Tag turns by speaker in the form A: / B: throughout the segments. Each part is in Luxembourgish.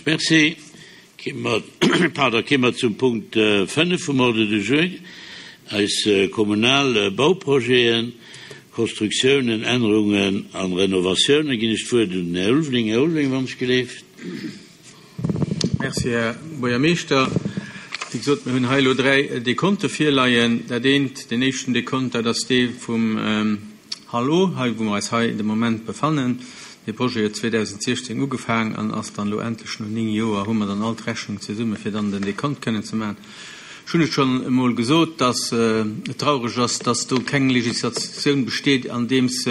A: Soen ech Merci. Pardon, Kéime mer zum Punkt 5 vum Ordre du jour, eis kommunal Bauprojeten, Konstruktiounen, Ännerungen a Renovatiounen. Ginn ech d'Wuert un den Här Ulveling. Här Ulveling, wann ech geleeft.
B: Merci, Här Buergermeeschter. Wéi gesot, mir hunn hei elo dräi Dekonte virleien. Dat eent, deen éischten Dekont, dat ass dee vum Hallo, hei wou mer eis hei de Moment befannen. Dee Projet huet 2016 ugefaang an ass dann elo endlech no 9 Joer hu mer dann all d'Rechnung zesumme fir dann den Dekont kënnen ze maachen. Ech hunn et schonn emol gesot, dass et traureg ass, dass do keng Législatioun besteet, andeems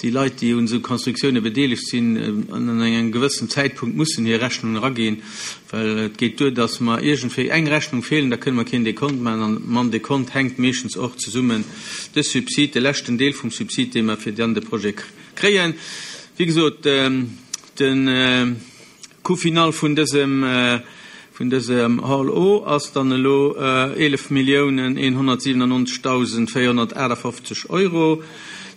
B: déi Leit, déi un esou Constructiounen bedeelegt sinn, an engem gewëssen Zäitpunkt mussen hir Rechnungen eraginn, well et geet duer, dass mer iergendwéi eng Rechnung feelen, da kënne mer keen Dekont maachen an mam Dekont hänkt meeschtens och zesummen de Subsid, de leschten Deel vum Subsid, dee mer fir dann de Projet kréien. Wéi gesot, de Coût final vun dësem, vun dësem Hall O ass dann elo 11 Milliounen 197.458 Euro.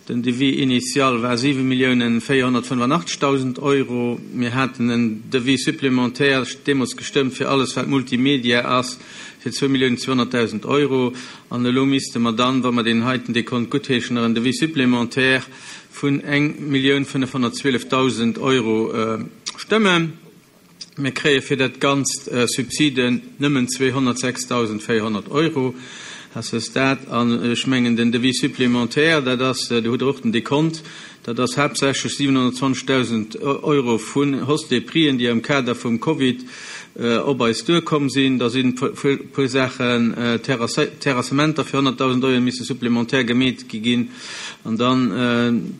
B: Den Devis initial war 7 Milliounen 485.000 Euro. Mir haten en Devis supplémentaire deemools gestëmmt fir alles wat Multimedia ass, fir zwou Milliounen 200.000 Euro. An elo misste mer dann, wa mer deen heiten Dekont guttheeschen, nach en Devis supplémentaire vun 1.512.000 Euro stëmmen. Mir kréie fir dat Ganzt Subsiden nëmmen 206.400 Euro à ce stade. An ech mengen, den Devis supplémentaire, dat ass, do hutt Der och den Dekont, dat ass haaptsächlech 720.000 Euro vun Hausse des prixen, déi am Kader vum Covid op eis duerkomm sinn. Da sinn e puer Saachen, Terrassementer fir 100.000 Euro misse supplémentaire gemeet gi ginn. An dann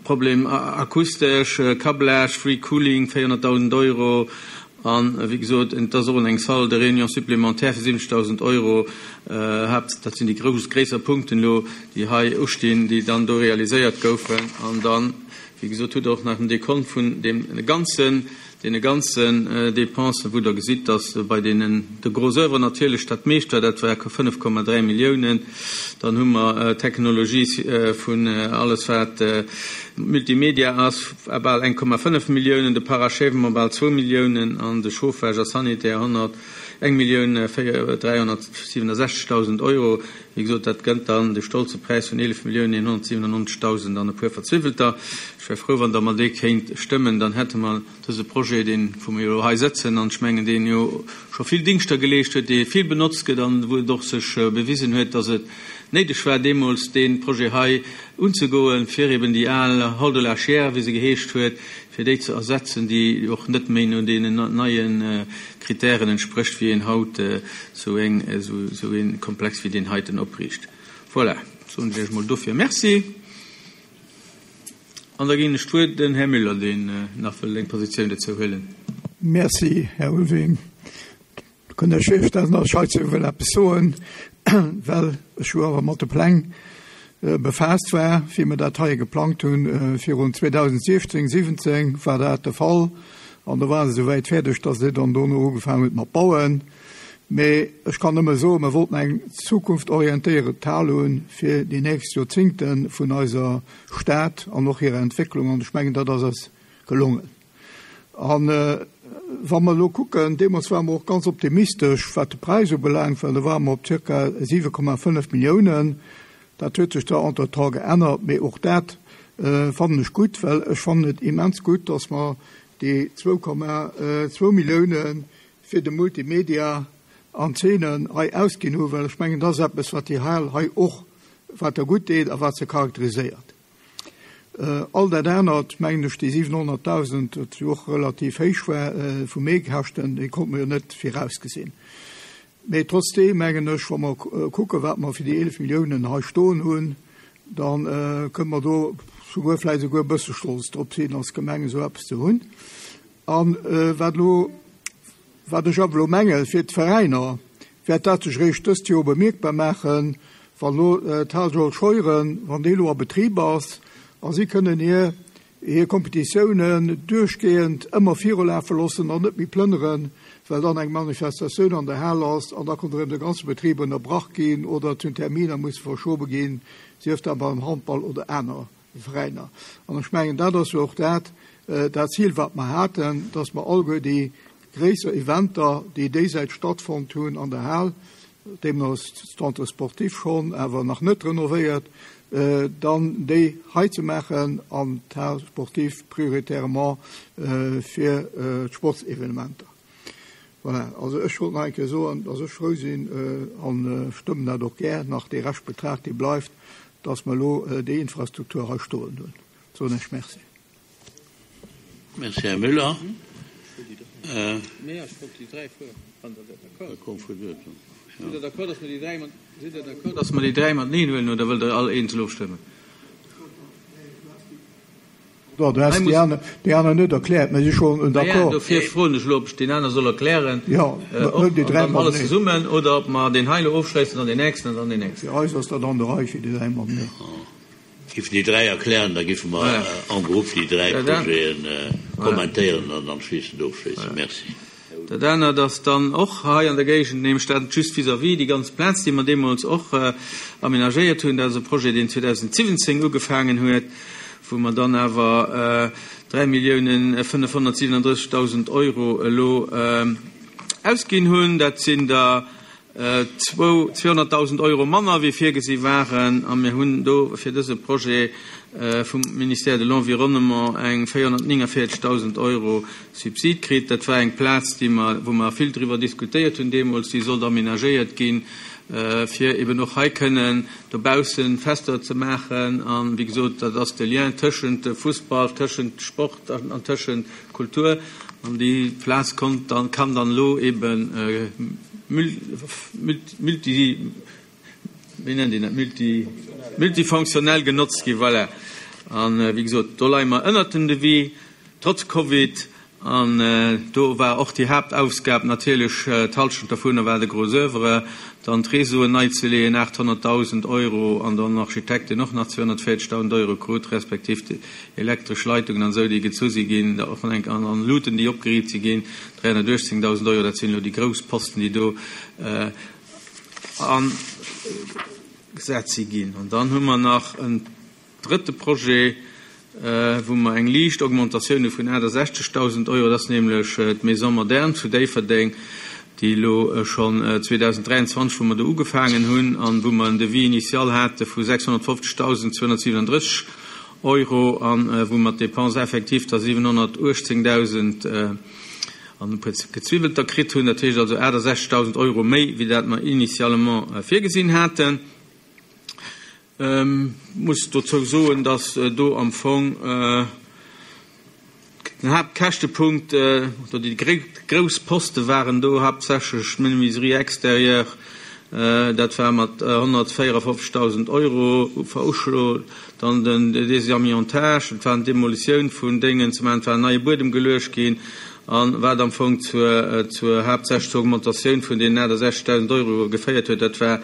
B: Problem akustesch, Câblage, Free Cooling, 400.000 Euro. An, wéi gesot, et ass och eng Salle de réunion supplémentaire fir 70.000 Euro. Haapt, dat sinn déi grouss, gréisser Punkten elo, déi hei ustinn, déi dann do realiséiert goufen. An dann, wéi gesot, hutt Der och nach den Dekont vun deem ganzen Deene ganzen Dépensen, wou Der gesitt, dass bei deenen de Gros oeuvre natierlech dat meescht war, dat war 5,3 Milliounen. Dann hu mer Technologie vun alles wat Multimedia ass, bal 1,5 Milliounen, de Parachèvement bal zwou Milliounen an de Chauffage a Sanitaire 100, eng Millioun 367.000 Euro. Wéi gesot, dat gëtt dann de stolze Präis vun 11.197.000 an e puer Verzwiwwelter. Ech wär frou, wann Der mer dee kéint stëmmen. Dann hätte mer dëse Projet, deen, wou mer jo elo hei sëtzen, an ech mengen, deen jo scho vill Dingschter geleescht huet, dee vill benotzt gëtt an wou et och sech bewisen huet, dass et néideg war, deemools dee Projet hei unzegoen, fir eben déi al Hall de la Chiers, wéi se geheescht huet, fir déi ze ersetzen, déi och net méi no deenen neie Kritären entsprécht, wéi een haut esou eng, esou ee Komplex wéi deen heiten opriicht. Voilà, soen ech Iech emol dofir Merci. An da ginn ech d'Wuert den Här Müller, deen nach wëllt eng Positioun dozou huelen.
C: Merci, Här Ulveling. Do kënnt Iech virstellen, datt ech heizou wëll eppes soen, well ech jo awer mat de Pläng befaasst war, wéi mer dat hei geplangt hunn. Virun 2016, 17 war dat de Fall an do war se esouwäit fäerdeg, datt Dir dann dono ugefaangen hutt mat bauen. Mee ech kann nëmme soen, mer wollten eng zukunftorientéiert Hal hunn fir déi nächst Joerzingte vun eiser Stad an och hirer Entwécklung an ech mengen, dat ass eis gelongen. A wa mer elo kucken, deemools ware mer och ganz optimistesch, wat de Präis ubelaangt, well do ware mer op zirka 7,5 Milliounen. Dat huet sech da entretemps geännert, mee och dat fannen ech gutt, well ech fannen et immens gutt, dass mer déi 2,2 Millioune fir de Multimedia an Zeenen hei ausginn hunn, well ech mengen, dat ass eppes, wat déi Hal hei och, wat der gutt deet a wat se charakteriséiert. All dat anert, mengen ech, déi 700.000, dat jo och relativ héich war vu Meekäschten, déi konnte mer jo net virausgesinn. Mee trotzdeem mengen ech, wa mer kucken, wat mer fir déi 11 Milliounen hei stoen hunn, da kënne mer do souguer vläicht esouguer e bësse stolz drop sinn, als Gemeng esou eppes ze hunn. A wat elo, wat ech awer elo mengen, fir d'Veräiner wäert dat sech eréischt dëst Joer bemierkbar maachen, wann elo d'Hal Georges Scheuren, wann déi elo a Betrib ass a si kënnen hir hir Kompetitiounen duerchgehend ëmmer virulafe loossen an net méi plënneren, well dann eng Manifestatioun an der Hal ass an da konnt erëm de ganze Betrib ënnerbrach ginn oder et hunn Terminer musse verschobe ginn, sief dat beim Handball oder aner Veräiner. An ech mengen, dat ass jo och dat, dat Zil, wat mer haten, dass mer alleguer déi. gréisser Eventer, déi déisäit stattfonnt hunn an der Hal, deemno ass d'Centre sportif schonn awer nach net renovéiert, dann déi hei ze maachen an d'Hal sportive prioritairement fir d'Sportsevenementer. Voilà, also ech wollt nach eng Kéier soen, dass ech frou sinn a stëmmen dat och gär nach, dee Reschtbetrag, dee bleift, dass mer elo déi Infrastruktur hei stoen hunn. Soen ech Merci.
A: Merci, Här Müller.
B: Sidd Der d'accord, dass mer déi dräi mateneen huelen, oder wëllt Der all eenzel ofstëmmen?
C: Du has déi aner net erkläert, mä si schon d'accord.
B: Dofir froen ech elo, ob ech deen aner soll erklären,
C: Jo,
B: och déi dräi alles zesummen, oder ob mer deen hei elo ofschléissen, dann deen nächsten an dann deen nächsten.
C: Fir eis ass dat an der Rei, fir déi dräi mateneen.
A: Giffen déi dräi erklären, da giffe mer en groupe déi dräi Projete kommentéieren an anschliessend ofschléissen. Merci.
B: Dat anert ass dann och hei an der Géigend, nämlech dat just vis-à-vis, déi ganz Plaz, déi mer deemools och aménagéiert hunn. Dat ass e Projet, deen 2017 ugefaangen huet, wou mer dann awer 3.537.000 Euro elo ausginn hunn. Dat sinn der 200.000 Euro manner wéi virgesi waren a mir hunn do fir dëse Projet vum Ministère de l'Environnement eng 449.000 Euro Subsid kritt. Dat war eng Plaz, déi mer, wou mer vill driwwer diskutéiert hunn deemools, déi sollt aménagéiert ginn, fir eben och hei kënnen dobausse Fester ze maachen. A wéi gesot, dat ass de Lien tëschent Fussball, tëschent Sport an tëschent Kultur. An déi Plaz konnt dann, kann dann elo eben multi, wéi nennt een dat, multi, multifonctionnel genotzt ginn. Voilà. An wéi gesot, do leie mer ënnert dem Devis, trotz Covid. An do war och déi Haaptaufgab natierlech, d'Halschent dovunner war de Gros oeuvre, dann d'Réseauen nei ze leeën, 800.000 Euro, an dann den Architekt, deen och nach 240.000 Euro krut, respektiv déi elektresch Leitungen an esou, déi gezu si ginn, och an an Luuten, déi opgeriicht si ginn, 318.000 Euro. Dat sinn elo déi grouss Posten, déi do agesat si ginn. An dann hu mer nach en drëtte Projet, wou mer eng liicht Augmentatioun hu vun 68.000 Euro. Dat ass nämlech d'Maison moderne zu Déifferdeng, déi elo schonn 2023, wou mer do ugefaangen hunn an wou mer en Devis initial hate vu 650.237 Euro an wou mer d'Dépenses effectives da 718.000 an e puer Gezwiwwelter kritt hunn. Dat heescht also 68.000 Euro méi, wéi dat mer initialement virgesinn haten. Muss dozou soen, dass do am Fong den Haaptkäschtepunkt oder déi grouss Poste waren do haaptsächlech d'Menuiserie extérieure, dat war mat 154.000 Euro veruschloen, dann den Désamiantage, dat waren d'Demolitioun vun Déngen, zum einen war en neie Buedem geluecht ginn a wat am Fong zur haaptsächlech zur Augmentatioun vun deenen 68.000 Euro geféiert huet, dat war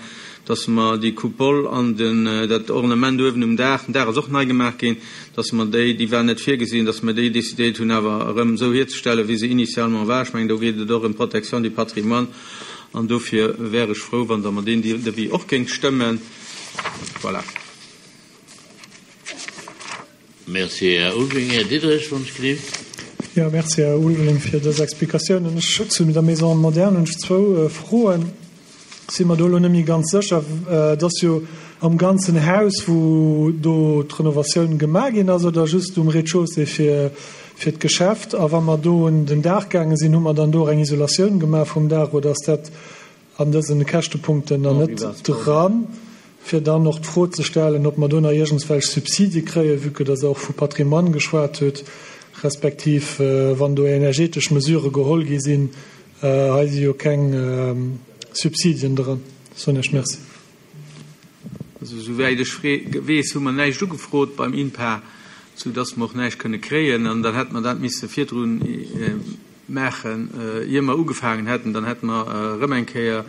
B: dass mer déi Coupole an den, dat Ornement uewen um Daach, den Daach ass och nei gemaach ginn, dass mer déi, déi war net virgesinn, dass mer déi décidéiert hunn awer erëm esou hierzestellen, wéi se initialement war. Ech mengen, do geet et och ëm d'Protection du patrimoine an dofir wär ech frou, wann Der mer deen Devis och géingt stëmmen. Voilà.
A: Merci, Här Ulveling. Här Diderich, wann ech gelift.
D: Jo, merci, Här Ulveling, fir dës Explikatiounen. Ech, zu der Maison moderne hunn ech zwou Froen. Si mer do elo net méi ganz sécher. Et ass jo am ganzen Haus, wou do d'Renovatioun gemaach ginn ass, oder just um Rez-de-chaussée fir, fir d'Geschäft? A wa mer do un den Daach gaange sinn, hu mer dann do och eng Isolatioun gemaach vum Daach, oder ass dat an dësen Käschtepunkten dann net dran, fir dann och d'Fro ze stellen, ob mer do nach iergendswelch Subsidie kréien, vue que dass Der och vu Patrimoine geschwat hutt, respektiv wann do energetesch Mesurë geholl gi sinn. Hei si jo keng Subsidien dran. Soen Iech Merci.
B: Also esouwäit ech weess, hu mer näischt ugefrot beim INPA, soudass mer och näischt kënne kréien. An dann hätte mer dat misse virdrun maachen, ier mer ugefaangen hätten. Dann hätte mer erëm eng Kéier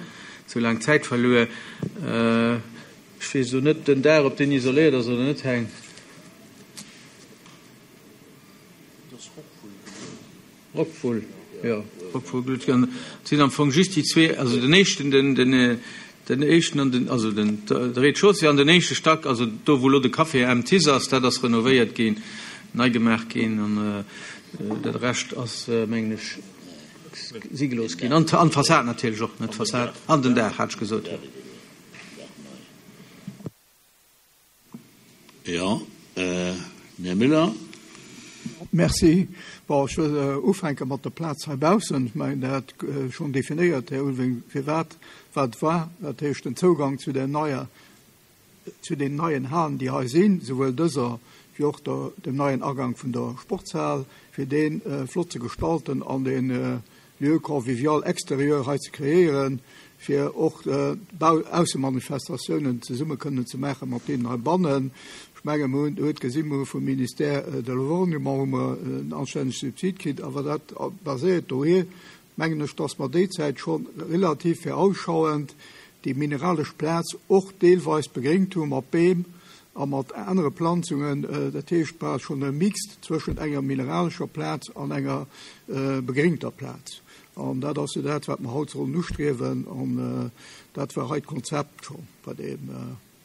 B: esou laang Zäit verluer. Ech weess elo net den Dag, ob deen isoléiert ass oder net, Heng. Rockwool, jo, Rockwool glutt. An et sinn am Fong just déi zwee, also den éischten, den, den, den éischten an den, also den, de Rez-de-chaussée an den éischte Stack, also do wou elo de Café M. This ass, dat ass renovéiert ginn, nei gemaach ginn an de Rescht ass, mengen ech. si gelooss ginn. An d'Fassad natierlech och, net d'Fassad, an den Daach, hat ech gesot.
A: Jo, den Här Müller.
C: Merci. Bon, ech wëll ufänke mat der Plaz heibaussen. Ech mengen, Der hat schonn definéiert, Här Ulveling, firwat wat war. Dat heescht, den Zougang zu der neier, zu den neien Halen, déi hei sinn, souwuel dëser wéi och der, dem neien Agang vun der Sportshal, fir dee flott ze gestalten an dee Lieu convivial extérieur hei ze kreéieren, fir och Aussemanifestatiounen zesumme kënnen ze maache mat deenen heibannen. Ech menge mer hunn huet gesi mer vum Ministère de l'Environnement hu mer en anstännege Subsid kritt, awer dat baséiert dohier, mengen ech, dass mer déi Zäit scho relativ virausschauend déi mineralesch Plaz och deelweis begréngt hu mat Beem a mat anere Planzungen. Dat heescht, et war schonn e Mix zwëschent enger mineralescher Plaz an enger begréngter Plaz. An dat ass jo dat, wat mer haut sollen ustriewen. An dat war hei d'Konzept scho bei deem,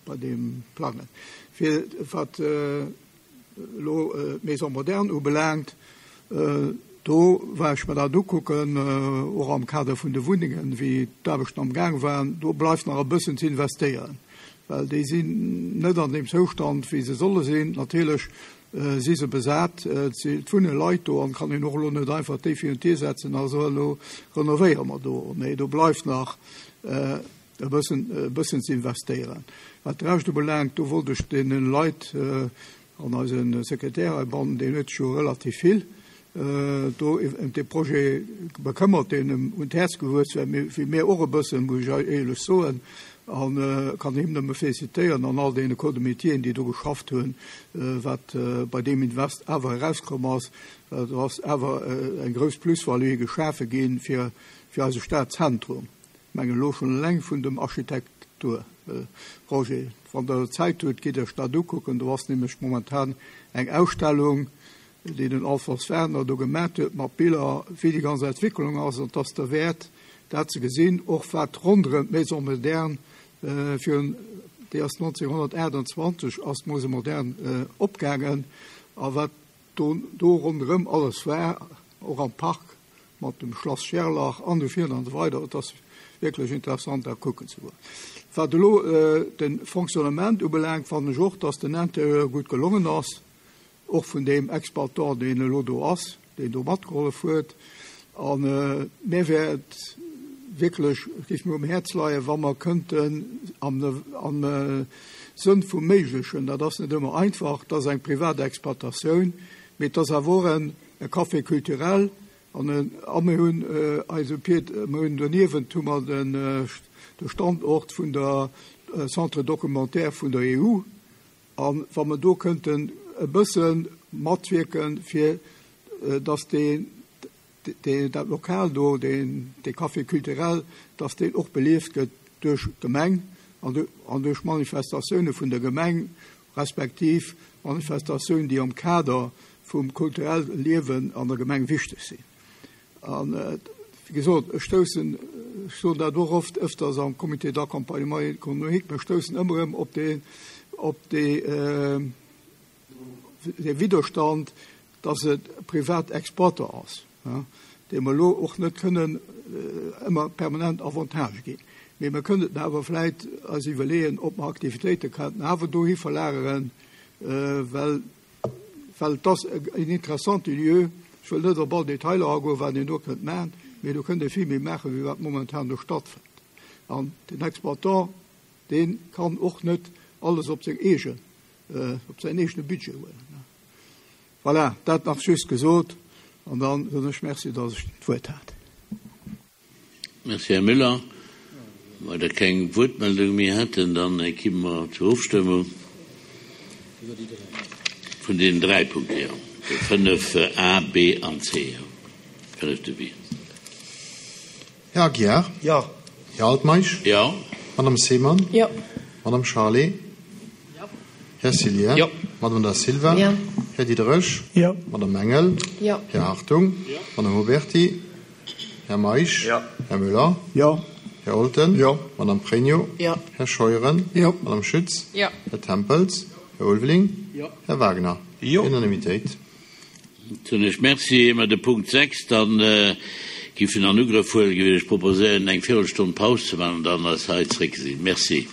C: bei deem Plangen. Fir wat elo d'Maison moderne ubelaangt, do war ech mer dat ukucken, och am Kader vun de Wunnengen, wéi d'Aarbechten amgaang waren, do bleift nach e bëssen ze investéieren, well déi sinn net an deem Zoustand, wéi se solle sinn. Natierlech si se besat, et wunne Leit do an et kann een och elo net einfach déi virun d'Dier setzen a soen, elo renovéiere mer do. Nee, do bleift nach e bëssen, e bëssen ze investéieren. Wat de Rescht ubelaangt, do wollt ech deene Leit an eise Sekretär heibannen, deen huet sech jo relativ vill do ëm dee Projet bekëmmert, deen em un d'Häerz gewuess war, wéi mir och e bëssen, muss ech éierlech soen, a kann him nëmme félicitéieren an all deene Corps de métieren, déi do geschafft hunn, wat bei deem Invest awer erauskomm ass. Do ass awer eng grouss Plus-value geschafe gi fir eise Stadzentrum. Mengen elo schonn eleng vun dem Architekturprojet. Wann Der Zäit hutt, gitt Iech dat ukucken. Do ass nämlech momentan eng Ausstellung, déi den Alfons Werner do gemat huet, mat Biller, wéi déi ganz Entwicklung ass. An et ass derwäert, dat ze gesinn, och wat ronderëm d'Maison moderne virun, déi ass 1928 ass d'Maison moderne opgaangen, a wat do do ronderëm alles war, och am Park. mat dem Schlass Scherlach an esou virun an esou weider. Et ass wierklech interessant dat kucken ze goen. Wat elo de Fonctionnement ubelaangt, fannen ech och, dass den Interieur gutt gelongen ass, och vun deem Exploitant, deen elo do ass, deen do matgehollef huet. A mir wär et wierklech, et géif mir um Häerz leien, wa mer kënnten am am Sënn vum Méiglechen, dat ass net ëmmer einfach, et ass eng privat Exploitatioun, mee et ass awer och en E Café culturel an en, a mir hunn eise Pied, mir hunn doniewent hu mer den, de Standort vun der Centre documentaire vun der EU. A wa mer do kënnten e bësse matwierken, fir datt dee, dee, dat Lokal do, deen, dee Café culturel, datt deen och belieft gëtt duerch d'Gemeng an duerch Manifestatioune vun der Gemeng, respektiv Manifestatiounen, déi am Kader vum kulturelle Liewen an der Gemeng wichteg sinn. An, wéi gesot, ech stoussen, ech soen dat och oft ëfters am Comité d'accompagnement économique, mer stoussen ëmmer erëm op dee, op dee, dee Widderstand, dass et e privat Exploiteur ass, deem mer elo och net kënnen ëmmer permanent Avantagë ginn. Mee mer kënnten awer vläit eis iwwerleeën, ob mer Aktivitéite könnten awer dohi verlageren, well, well et ass en interessante Lieu. Ech wëll net op all Detailer agoen, wat een do kënnt maachen, mee do kënnt ee vill méi maachen, wéi wat momentan do stattfënnt. An den Exploitant, dee kann och net alles op seng eegen, op säin eegene Budget huelen. Voilà, dat nach just gesot an dann soen ech Merci, dass ech d'Wuert hat.
A: Merci, Här Müller. Wa der keng Wuertmeldung méi hätten, dann ki mer zur Ofstëmmung vun deenen dräi Punkte, jo, de 5 a, b an c, jo, fënnefte B.
E: Här Aguiar?
F: Jo.
E: Här Altmeisch?
A: Jo.
E: Madame Seemann?
G: Jo.
E: Madame Charlé?
G: Jo.
E: Här Cillien?
G: Jo.
E: Madame Da Silva?
G: Jo.
E: Här Diderich?
D: Jo.
E: Madame Engel?
G: Jo.
E: Här Hartung?
A: Jo.
E: Madame Huberty? Här Meisch?
F: Jo.
E: Här Müller?
C: Jo.
E: Här Olten?
C: Jo.
E: Madame Pregno?
G: Jo.
E: Här Scheuren?
C: Jo.
E: Madame Schütz?
G: Jo.
E: Här Tempels? Här Ulveling?
A: Jo.
E: Här Wagner?
A: Jo.
E: Unanimitéit.
A: Soen ech Merci. Ier mer de Punkt 6 dann. giffen an Ugrëff huelen, géif ech proposéieren, eng Virelstonn Paus ze maachen an dann eis hei zréckgesinn. Merci.